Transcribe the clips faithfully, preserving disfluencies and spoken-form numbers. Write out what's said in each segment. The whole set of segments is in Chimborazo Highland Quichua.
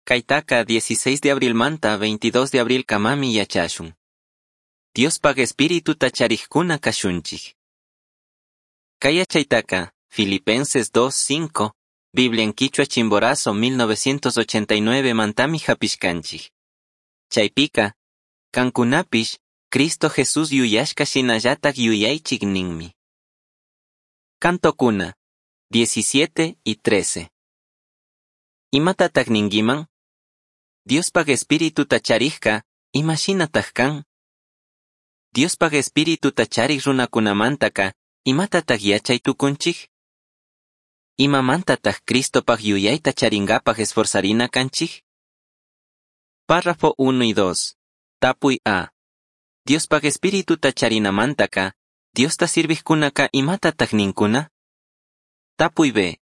Caitaca dieciséis de abrilmanta veintidós de abrilcamami yachashun. Diospaj Espirituta charijcuna cashunchij. Cai yachaitaca Filipenses dos cinco, Biblia en Quichua Chimborazo mil novecientos ochenta y nueve mantami japishcanchij. Chaipica, cancunapish, Cristo Jesús yuyashca shinallataj yuyaichik ninmi. Cantocuna, diecisiete y trece. Imatataj ninguiman? Diospaj Espirituta charijka, imashinataj kan? Diospaj Espirituta charij runakunamantaka, imatataj yachay tukunchik? Imamantataj Cristopaj yuyayta charingapaj esforzarina kanchik? Párrafo uno y dos. Tapuy A. Diospaj Espirituta charinamantaka, Diosta sirvijkunaka imatataj ninkuna? Tapuy B.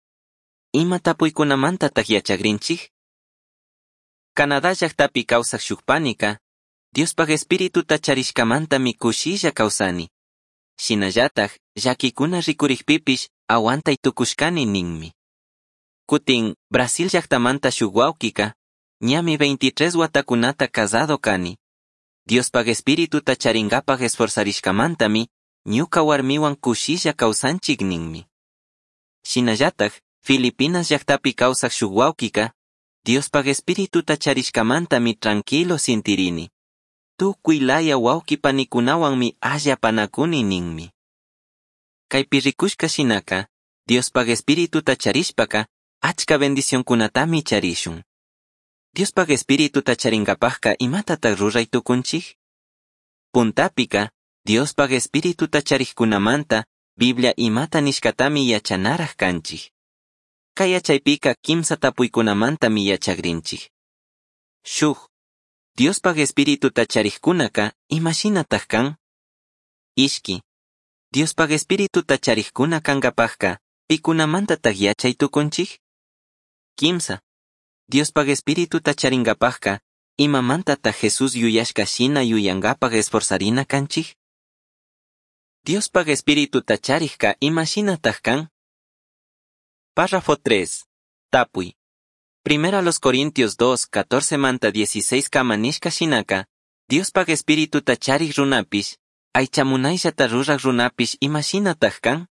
Ima tapuykunamantataj yachagrinchik? Canadá llajtapi kawsaj shukpanika, Diospaj Espirituta charishkamantami kushilla kawsani. Shinallataj, llakikuna rikurikpipish aguantay tukushkani ninmi. Kutin, Brasil llajtamanta shuk wawkika, ñami veintitrés watakunata casado kani. Diospaj Espirituta charingapaj esforzarishkamantami, ñuka warmiwan kushilla kawsanchik ninmi. Shinallataj, Filipinas llajtapi kawsaj shuk wawkika, Diospaj Espirituta charishkamantami tranquilo sintirini. Tukuy laya wawki panikunawanmi allapanakuni ninmi. Kaypi rikushka shinaka, Diospaj Espirituta charishpaka, achka bendicionkunatami charishun. Diospaj Espirituta charingapajka imatataj ruray tukunchik? Puntapika, Diospaj Espirituta charijkunamanta, Biblia imata nishkatami yachanaraj kanchik. Kay yachaypika kimsa tapuykunamantami yachagrinchik. Shuj, Diospaj Espirituta charijkunaka imashinataj kan? Ishki, Diospaj Espirituta charijkuna kankapajka, pikunamantataj yachay tukunchik? Kimsa, Diospaj Espirituta charingapajka, imamantataj Jesús yuyashka shina yuyankapaj esforzarina kanchik? Diospaj Espirituta charijka imashinataj kan? Párrafo tres. Tapuy. Primera los Corintios dos, catorce manta dieciséis kama nishka shinaka, Diospaj Espirituta charij runapish, aychamunayllata ruraj runapish imashinataj kan?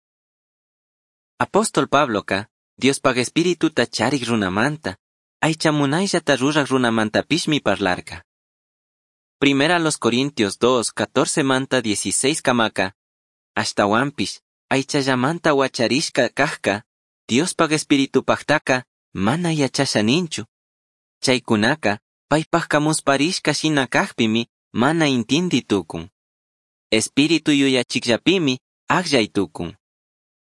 Apóstol Pabloka, Diospaj Espirituta charij runamanta, aychamunayllata ruraj runamantapishmi parlarka. Primera los Corintios dos, catorce manta dieciséis kamaka, ashtawanpish, aychallamanta wacharishka kajka, Diospaj Espiritupajtaka mana yachasha ninchu. Chaykunaka, paypajka musparishka shina kajpimi mana intindi tukun. Espíritu yuyachikllapimi akllay tukun.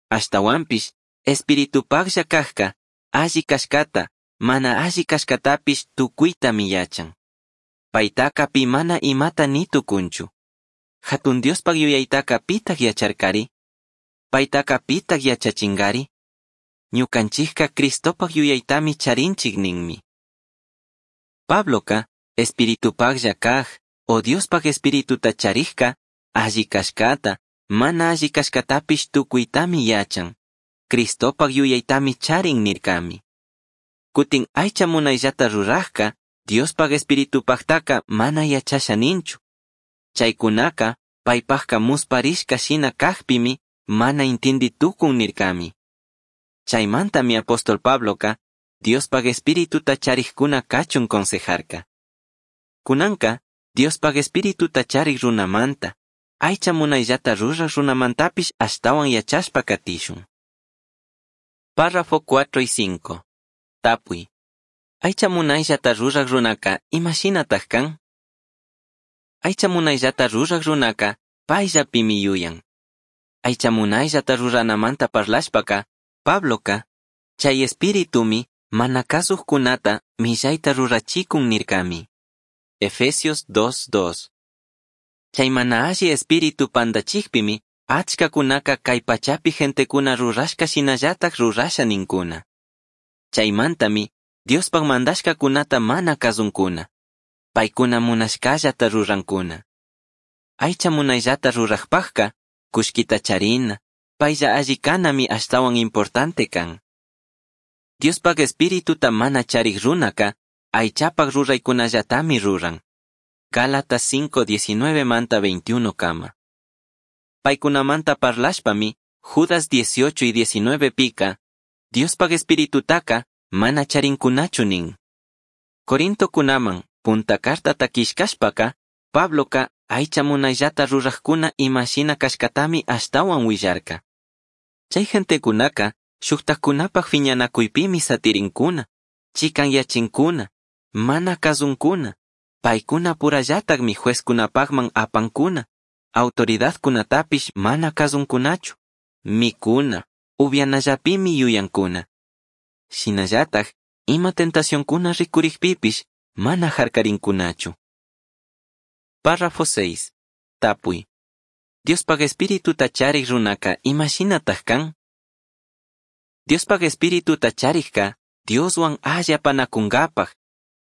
Ashtawanpish, Espiritupajlla kajka, alli kashkata, mana alli kashkatapish tukuytami yachan. Paytaka pi mana imata ni tukunchu. Hatun Diospaj yuyaytaka pitaj yacharkari? Paytaka pitaj yachachingari? Ñukanchikka Cristopaj yuyaytami charinchik ninmi. Pabloka, Espiritupajlla kaj, o Diospaj Espirituta charijka, alli kashkata, mana alli kashkatapish tukuytami yachan. Cristopaj yuyaytami charin nirkami. Kutin aycha munayllata rurajka, Diospaj Espiritupajtaka mana yachasha ninchu. Chaykunaka, paypajka musparishka shina kajpimi, mana intindi tukun nirkami. Chaymantami apóstol Pabloka, Diospaj Espirituta charijkuna kachun consejarka. Kunanka, Diospaj Espirituta charij runamanta, aycha munayllata ruraj runamantapish ashtawan yachashpa katishun. Párrafo cuatro y cinco. Tapuy. Aycha munayllata ruraj runaka imashinataj kan? Aycha munayllata ruraj runaka payllapimi yuyan. Aycha munayllata ruranamanta parlashpaka, Pabloka, chay espiritumi mana kasujkunata millayta rurachikun nirkami. Efesios dos dos. Chay mana alli espíritu pandachikpimi, achkakunaka kay pachapi gentekuna rurashka shinallataj rurasha ninkuna. Chaymantami, Diospaj mandashkakunata mana kasunkuna. Paykuna munashkallata rurankuna. Aycha munayllata rurajpajka, kushkita charina, paylla alli kanami ashtawan importante kan. Diospaj espirituta mana charij runaka, Aichapaj ruraicunallatami ruran. Gálatas cinco diecinueve manta veintiuno kama. Paicunamanta parlashpami, Judas dieciocho y diecinueve pica, Diospaj espiritutaka mana charinkunachu nin. Corinto kunaman, punta carta killkashpaka, Pabloka aycha munayllata rurajkuna imashina kashkatami ashtawan willarka. Chay gentekunaka shuktajkunapaj fiñanakuypimi satirinkuna, chikanyachinkuna, mana kazunkuna, paykuna purallatakmi juezkunapajman apankuna, autoridadkunatapish mana kazunkunachu, mikuna, upianallapimi yuyankuna. Shinallataj, ima tentacionkuna rikurikpipish mana jarkarinkunachu. Párrafo seis. Tapuy. Diospaj espirituta charik runaka imashinataj kan? Diospaj espirituta charikka Dioswan alli apanakunkapaj,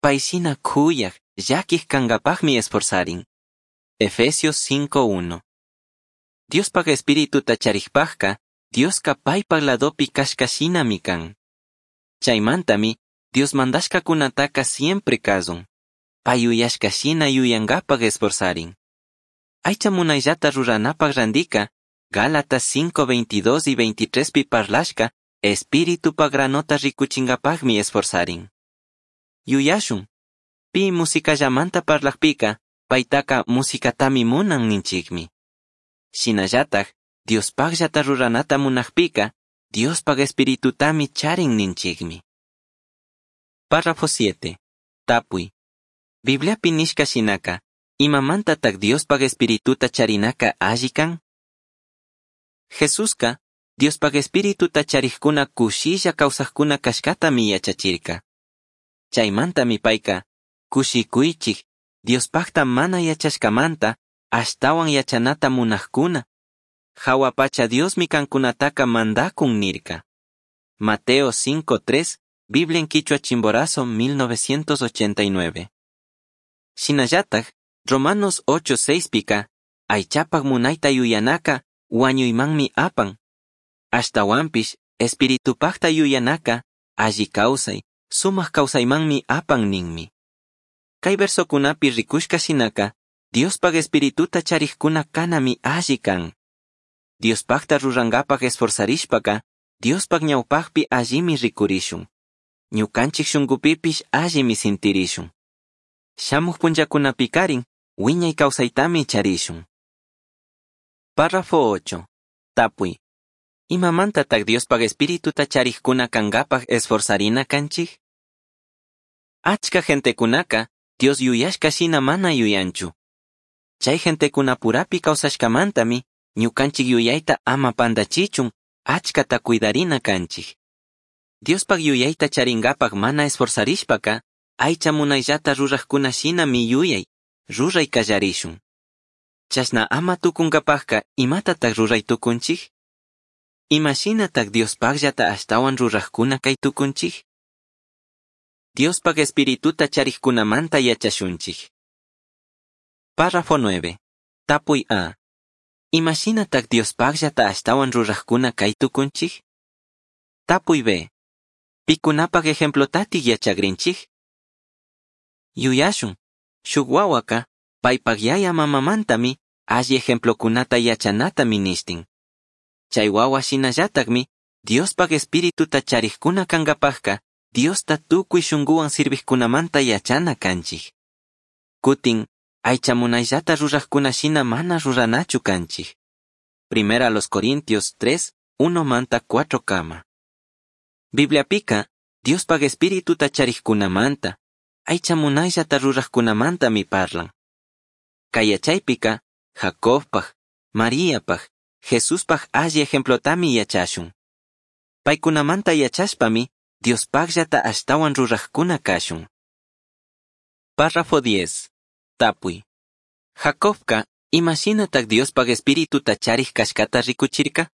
payshina kuyaj, llakij kankapajmi esforzarin. Efesios cinco uno. Diospaj espirituta charikpajka, Dioska paypaj ladopi kashkashinami kan. Chaymantami, Dios mandashkakunataka siempre kazun. Pay yuyashkashina yuyankapaj esforzarin. Aycha munayllata ruranapaj randika, Gálatas cinco veintidós y veintitrés pi parlashka, espíritu granota rikuchinkapajmi esforzarin. Yuyashun, pi musikallamanta parlajpika, paytaka musikatami munan ninchikmi. Shinallataj, Diospajllata ruranata munajpika, Diospaj espiritutami charin ninchikmi. Párrafo siete. Tapuy. Bibliapi nishka shinaka, imamantatak Diospaj espirituta charinaka alli kan? Jesuska, Diospaj espirituta charijkuna kushilla kawsajkuna kashkatami yachachirka. Chaymantami payka, kushikuychik, Diospajta mana yachashkamanta, ashtawan yachanata munajkuna. Jawa pacha Diosmi kankunataka mandakun nirka. Mateo cinco tres, Biblia en Quichua Chimborazo mil novecientos ochenta y nueve. Shinallataj, Romanos ocho seis pika, aychapaj munayta yuyanaka, wañuymanmi apan. Ashtawanpish, espiritupajta yuyanaka, alli kawsay, sumaq kawsaymanmi apan ninmi. Kay versokunapi rikushka shinaka, Diospaj espirituta charijkuna kanami alli kan. Diospajta rurankapaj esforzarishpaka, Diospaj ñawpajpi allimi rikurishun. Ñukanchik shunkupipish allimi sintirishun. Shamuj punllakunapikarin, wiñay kawsaytami charishun. Párrafo ocho. Tapuy. Imamantatak Diospaj espirituta charijkuna kankapaj esforzarina kanchik? Achka gentekunaka, Dios yuyashka shina mana yuyanchu. Chay gentekunapurapi kawsashkamantami, ñukanchik yuyayta ama pandachichun, achkata cuidarina kanchik. Diospaj yuyayta charinkapaj mana esforzarishpaka, aycha munayllata rurajkuna shinami yuyay, ruray kallarishun. Chashna ama tukunkapajka imatatak ruray tukunchik? Imashinatak Diospajllata ashtawan rurajkuna kay tukunchik? Diospaj espirituta charijkunamanta yachashunchik. Párrafo nueve. Tapuy A. Imashinatak Diospajllata ashtawan rurajkuna kay tukunchik? Tapuy B. Pikunapaj ejemplotatik yachagrinchik? Yuyashun, shuk wawaka, paypaj yaya mamamantami, alli ejemplokunata yachanata minishtin. Chay wawa shinallatakmi, Diospaj espirituta charijkuna kankapajka, Diosta tukuy shunkuwan sirvijkunamanta yachana kanchik. Kutin, aycha munayllata rurajkuna shina mana ruranachu kanchik. Primera a los Corintios tres, uno manta cuatro kama. Bibliapika, Diospaj espirituta charijkunamanta, aycha munayllata rurajkunamantami parlan. Kay yachaypika, Jacobpaj, Mariapaj, Jesuspaj alli ejemplotami yachashun. Paykunamanta yachashpami, Diospajllata ashtawan rurajkuna kashun. Párrafo diez. Tapuy. Jacobka, imashinatak Diospaj espirituta charij kashkata rikuchirka?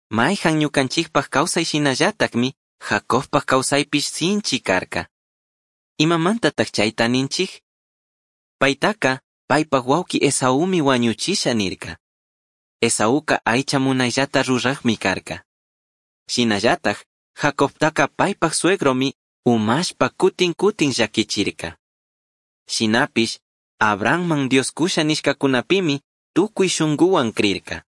Mayhan ñukanchikpaj kawsay shinallatakmi, Jacobpaj kawsaypish sinchi karka. Imamantatak chayta ninchik? Paytaka, paypaj wawki Esaúmi wañuchisha nirka. Esaúka aycha munayllata rurajmi karka. Shinallatak, Jacobtaka paypaj suegromi umashpa cutin cutin llaquichirca. Shinapish, Abrahamman Dios cusha nishcacunapimi tucui shunguhuan crirca.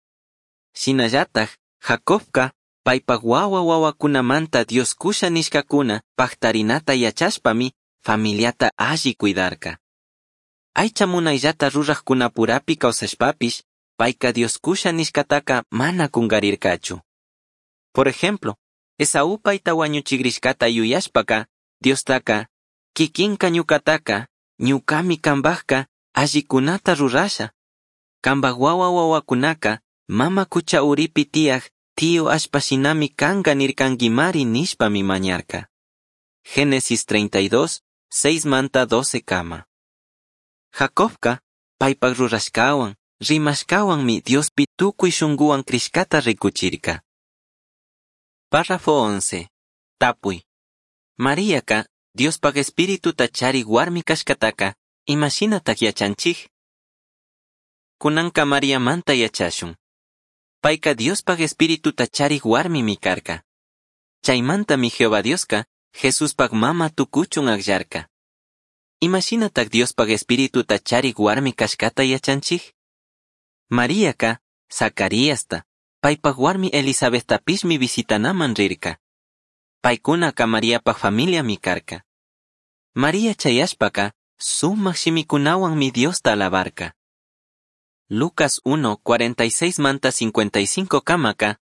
Shinallataj, Jacobca paipaj huahua huahuacunamanta Dios cusha nishcacuna pajtarinata yachashpami familiata alli cuidarca. Aicha munaillata rurajcunapurapi causashpapish, paica Dios cusha nishcataca mana cungarircachu. Por ejemplo, Esaú paita huañuchigrishcata yuyashpaca, Diostaca, kikinka ñucataca, ñucami cambajca, allicunata rurasha. Cambaj huahua huahuacunaca, mama cucha uripi tiyaj, tío allpa shinami canga nircanguimari nishpami mañarca. Génesis treinta y dos, seis manta doce kama. Jacobca, paipaj rurashcahuan, rimashcahuanmi Diospi tucui shunguhuan crishcata ricuchirca. Párrafo once. Tapui. Mariaca, Diospaj espirituta charij huarmi cashcataca, imashinataj yachanchij? Cunanca Mariamanta yachashun. Paica Diospaj espirituta charij huarmimi carca. Chaimantami Jehová Diosca, Jesuspaj mama tucuchun agllarca. Imashinataj Diospaj espirituta charij huarmi cashcata yachanchij? Mariaca, Zacariasta, paipaj huarmi Elisabetapishmi visitanaman rirca. Paicunaca Mariapaj familiami carca. María chayashpaca, sumaj shimicunahuanmi Diosta alabarca. Lucas uno, cuarenta y seis manta cincuenta y cinco kamaca,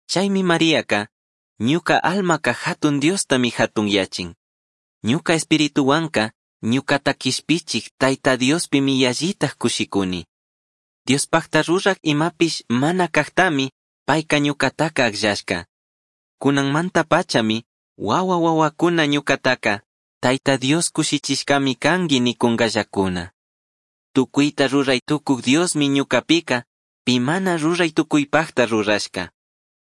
chaymi Mariaca, ñuca almaca jatun Diostami jatun yachin. Ñuca espirituhuanca, ñucata quishpichij Taita Diospimi yallitaj cushicuni. Diospajta ruraj imapish mana cajtami, paica ñucataca agllashca. Cunanmanta pachami, huahua huahuacuna ñucataca, Taita Dios cushichishcami cangui nicungallacuna. Tucuita rurai tucuj Diosmi ñucapica, pi mana rurai tucuipajta rurashca.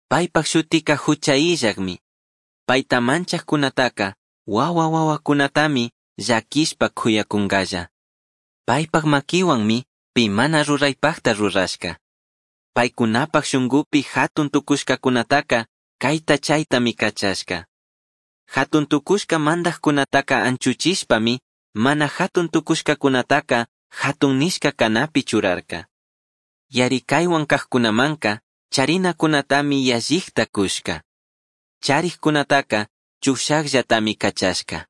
Paipaj shutica jucha illajmi. Paita manchajcunataca, huahua huahuacunatami llaquishpa cuyacungalla. Paipaj maquihuanmi, pi mana ruraipajta rurashca. Paicunapaj shungupi jatun tucushcacunataca, caita chaitami cachashca. Jatun tucushca mandajcunataca anchuchishpami, mana jatun tucushcacunataca, jatun nishca canapi churarca. Yaricaihuan cajcunamanca, charinacunatami yallijta cushca. Charijcunataca, chushajllatami cachashca.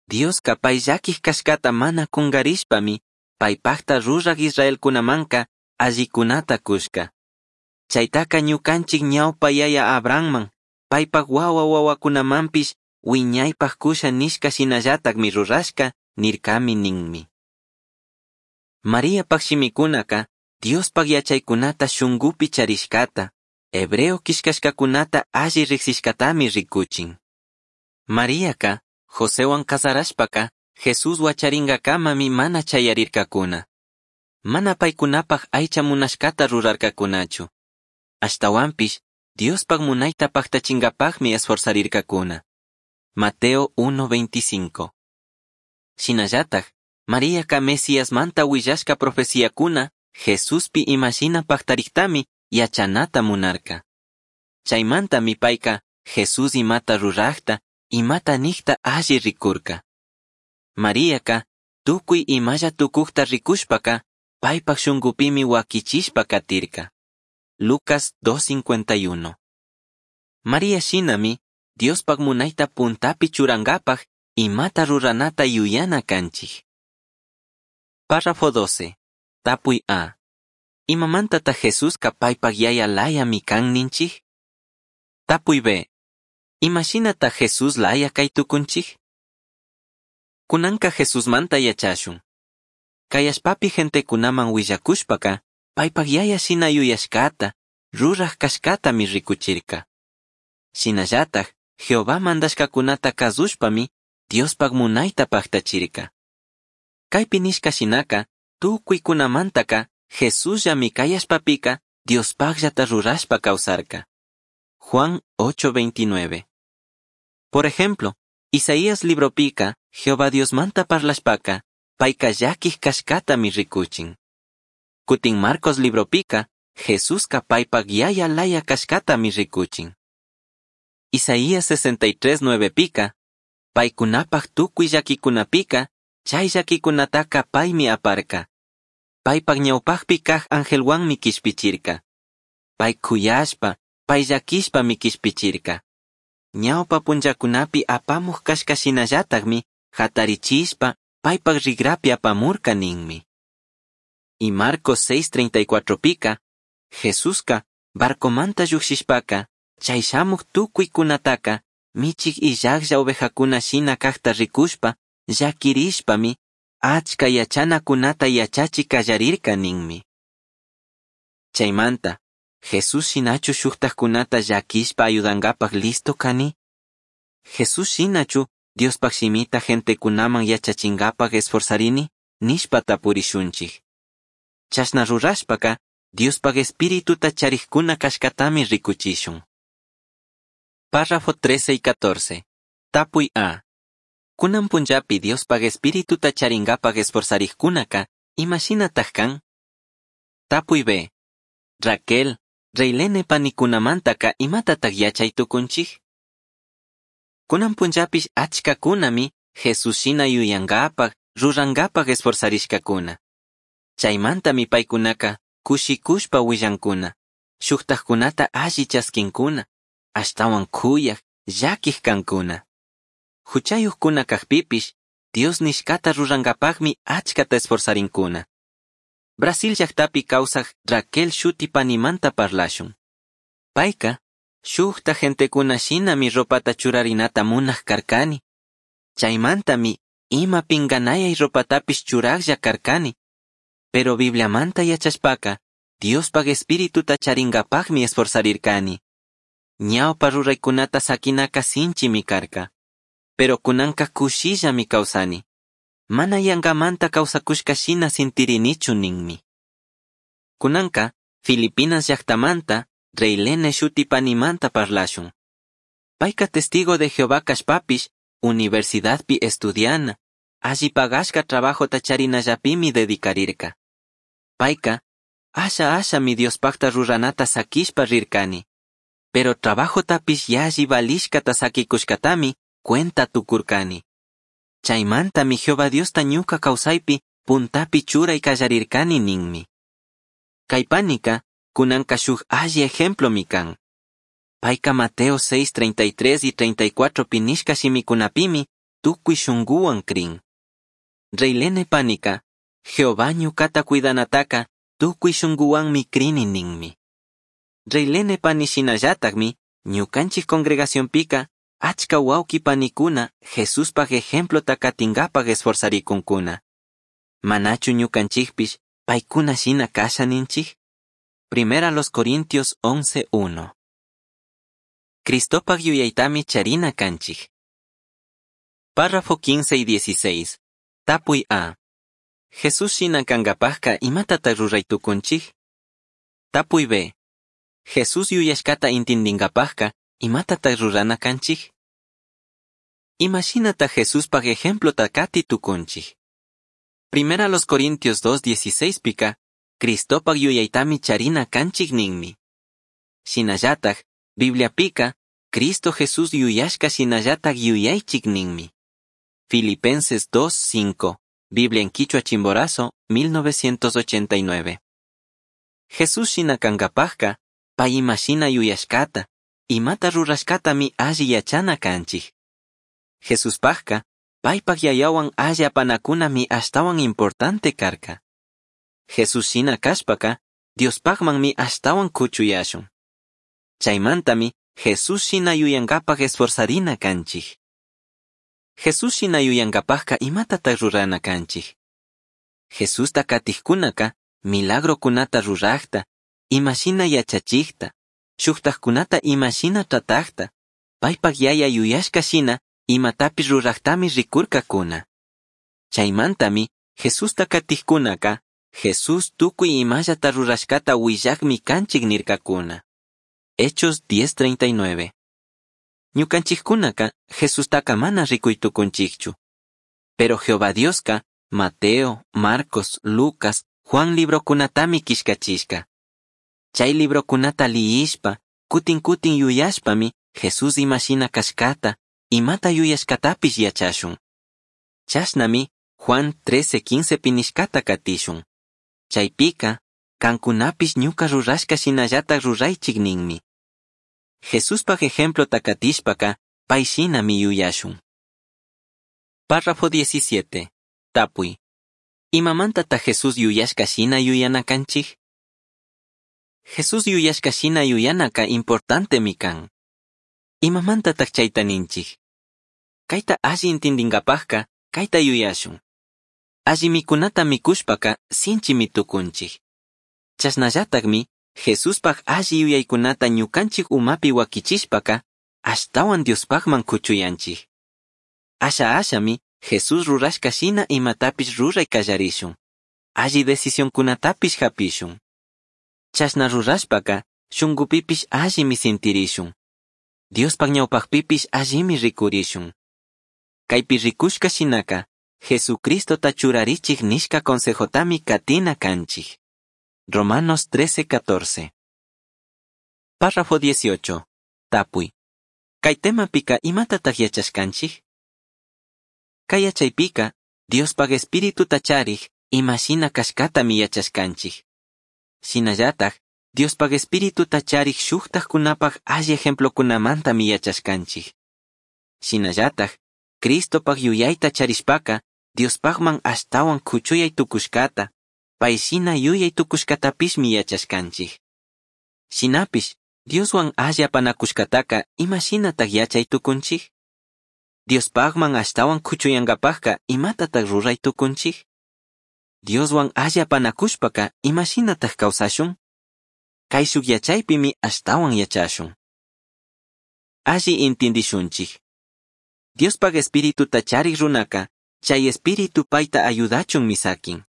Diosca pai llaquij cashcata mana cungarishpami, paipajta ruraj Israelcunamanca, allicunata cushca. Chaitaca ñucanchij ñaupa yaya Abrahamman, paipaj huahua huahuacunamanpish, huiñaipaj cusha nishca shinallatajmi rurashca, nircami ninmi. Mariapaj shimicunaca, Diospaj yachaicunata shungupi charishcata, hebreo quillcashcacunata alli rijsishcatami ricuchin. Mariaca, Josehuan cazarashpaca, Jesús huacharingacamami mana chayarircacuna. Mana paicunapaj aicha munashcata rurarcacunachu. Ashtahuanpish, Diospaj munaita pajtachingapajmi esforzarircacuna. Mateo uno veinticinco. Shinallataj, Mariaca Mesíasmanta huillashca profeciacuna, Jesuspi imashina pajtarijtami yachanata munarca. Chaimantami paica Jesús imata rurajta, imata nijta alli ricurca. Mariaca, tucui imalla tucujta ricushpaca, paipaj shungupimi huaquichishpa catirca. Lucas dos cincuenta y uno. María shinami, Diospaj munaita puntapi churangapaj, imata ruranata yuyana canchij. Párrafo doce. Tapui A. Imamantata Jesusca paipaj yaya layami can ninchij? Tapui B. Imashinata Jesús laya kay tukunchij? Kunanka Jesusmanta yachashun. Kayashpapi gentekunaman willakushpaka, paipaj yaya shina yuyashkata, ruraj kashkatami rikuchirka. Shinallataj, Jehová mandashkakunata kazushpami, Diospaj munayta pajtachirka. Kaypi nishka shinaka, tukuykunamantaka, Jesusllami kayashpapika, Diospajllata rurashpa kawsarka. Juan ocho veintinueve. Por ejemplo, Isaías libropika, Jehová Diosmanta parlashpaka, payka llaquij kashkatami rikuchin. Kutin Marcos libropika, Jesuska paypak yaya laya kashkatami rikuchin. Isaías sesenta y tres nueve pika, Paicunapaj tucui llaquicunapica, chai llaquicunataca paimi aparca. Paipaj ñaupajpi caj angelhuanmi quishpichirca. Pai cuyashpa, pai llaquishpami quishpichirca. Ñaupa punllacunapi apamuj cashca shinallatajmi jatarichishpa paipaj rigrapi apamurca ninmi. Y Marcos seis treinta y cuatro pica, Jesusca barcomanta llujshishpaca, chai shamuj tucuicunataca, michij illajlla ovejacuna shina cajta ricushpa, llaquirishpami, achca yachanacunata yachachi callarirca ninmi. Chaimanta, Jesús shinachu shujtajcunata llaquishpa ayudangapaj listo cani? Jesús shinachu Diospaj shimita gentecunaman yachachingapaj esforzarini? Nishpa tapurishunchij. Chashna rurashpaca, Diospaj espirituta charijcuna cashcatami ricuchishun. Párrafo trece y catorce. Tapuy A. Kunan punllapi Diospaj espirituta charingapaj esforzarijcunaca, imashinataj can? Tapuy B. Raquel, Reilene panikunamantaka imatataj yachay tukunchij? Kunan punllapish achkakunami Jesús shina yuyangapaj, rurangapaj esforzarishkakuna. Chaymantami paykunaka kushikushpa willankuna, shujtajkunata alli chaskinkuna, ashtawan kuyaj, llaquij kankuna. Huchayuqkuna kajpipish, Dios nishkata rurangapajmi achkata esforzarinkuna. Brasil llaqtapi kawsaj Raquel shuti panimanta parlashun. Payka, shujta gentekuna shinami ropata churarinata munaj karkani. Chaymantami ima pinganayay ropatapish churajlla karkani. Pero Bibliamanta yachashpaka, Diospaj espirituta charingapajmi esforzarirkani. Ñawpa ruraykunata sakinaka sinchimi karka. Pero kunanka kushillami kawsani. Mana yangamanta kawsakushka shina sintirinichu ninmi. Kunanka, Filipinas llaqtamanta, Reilene shuti panimanta parlashun. Payka testigo de Jehová kashpapish, universidadpi estudiana, alli pagashka trabajota charinallapimi dedicarirka. Payka, asha ashami Diospajta ruranata sakishpa rirkani. Pero trabajotapish yalli valishkata sakikushkatami cuenta tukurkani. Chaymantami Jehová Diosta ñuka kawsaypi puntapi churay kallarirkani ninmi. Kay panika, kunanka shuk alli ejemplomi kan. Payka Mateo seis treinta y tres y treinta y cuatro pinishka shimikunapimi tukuy shunguwan krin. Reilene panika, Jehová ñukata cuidanataka tukuy shunguwanmi krini ninmi. Reilene pani shinallatakmi, ñukanchik congregacionpika, achka wawqi panikuna Jesuspaj ejemplota katingapaj esforzarikunkuna. Manachu ñukanchikpish paykuna shina kasha ninchik? Primera los Corintios once uno. Cristopaj yuyaytami charina kanchik. Párrafo quince y dieciséis. Tapuy A. Jesús shina kankapajka imatata ruray tukunchik? Tapuy B. Jesús yuyashkata intindinkapajka imatata rurana kanchik? Imashinata Jesuspaj ejemplota kati tukunchik. Primera los Corintios dos dieciséis pika, Cristopaj yuyaytami charina kanchik ninmi. Shinallataj, Biblia pika, Cristo Jesús yuyashka shinallataj yuyaychik ninmi. Filipenses dos cinco, Biblia en Quichua Chimborazo, mil novecientos ochenta y nueve. Jesús shina kankapajka, pay imashina yuyashkata, imata rurashkatami alli yachana kanchik. Jesuspajka, paypaj yayawan alli apanakunami ashtawan importante karka. Jesús shina kashpaka, Diospajmanmi ashtawan kuchuyashun. Chaymantami, Jesús shina yuyankapaj esforzarina kanchik. Jesús shina yuyankapajka imatataq rurana kanchik. Jesusta katijkunaka, milagrokunata rurajta, imashina yachachijta, shujtajkunata imashina tratajta, paypaj yaya yuyashka shina, imatapish rurajtami rikurkakuna. Chaymantami, Jesusta katijkunaka, Jesús tukuy imallata rurashkata willakmi kanchik nirkakuna. Hechos diez treinta y nueve. Ñukanchikkunaka Jesustaka mana rikuy tukunchikchu. Pero Jehová Dioska, Mateo, Marcos, Lucas, Juan librokunatami kishkachishka. Chay librokunata liyishpa, kutin kutin yuyashpami, Jesús imashina kashkata, imata yuyashcatapish yachashun. Chashnami Juan trece quincepi nishcata catishun. Chaipica, cancunapish ñuca rurashca shinallataj ruraichij ninmi. Jesuspaj ejemplota catishpaca, pai shinami yuyashun. Párrafo diecisiete. Tapui. Imamantataj Jesús yuyashca shina yuyana canchij? Jesús yuyashca shina yuyanaca importantemi can. Imamantataj chaita ninchij? Caita alli intindingapajca, caita yuyashun. Alli micunata micushpaca sinchimi tucunchij. Chashnallatajmi Jesuspaj alli yuyaicunata ñucanchij umapi huaquichishpaca, ashtahuan Diospajman cuchuyanchij. Asha ashami Jesús rurashca shina imatapish rurai callarishun. Alli decisioncunatapish japishun. Chashna rurashpaca, shungupipish allimi sintirishun. Diospaj ñaupajpipish allimi ricurishun. Caipi ricushca shinaca, Jesucristota churarichij nishca consejotami catina canchij. Romanos trece catorce. Párrafo dieciocho. Tapui. Cai temapika imatataj yachashcanchij? Cai yachaipika, Diospaj espirituta charij, ima shina cashcatami yachashcanchij. Shinallataj, Diospaj espirituta charij shujtajcunapaj alli ejemplocunamantami yachashcanchij. Shinallataj, Cristopaj yuyaita charishpaca, Diospajman ashtahuan cuchuyai tucushcata, pai shina yuyai tucushcatapishmi yachashcanchij. Shinapish, Dioshuan alli apanacushcataca ima shinataj yachai tucunchij? Diospajman ashtahuan cuchuyangapajca imatataj rurai tucunchij? Dioshuan alli apanacushpaca ima shinataj causashun? Caishuc yachaipimi ashtahuan yachashun. Alli intindishunchij. Diospaj espirituta charij runaca, chay espíritu paita ayudachunmi saquin.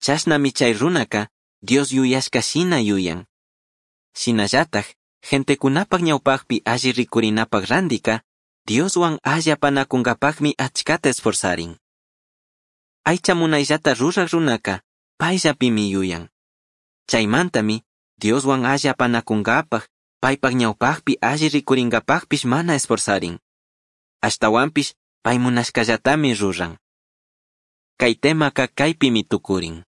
Chashnami chay runaca, Dios yuyashca shina yuyan. Shinallataj, gentecunapaj ñaupajpi alli ricurinapaj randica, Dioshuan alli apanacungapajmi achcata esforzarin. Aicha munayllata ruraj runaca, payllapimi yuyan. Chaymantami, Dioshuan alli apanacungapaj, paypaj ñaupajpi alli ricuringapajpish mana esforzarin. Ashtahuanpish, pay munashcallatami ruran. Kay temaka kaypimi tukurin.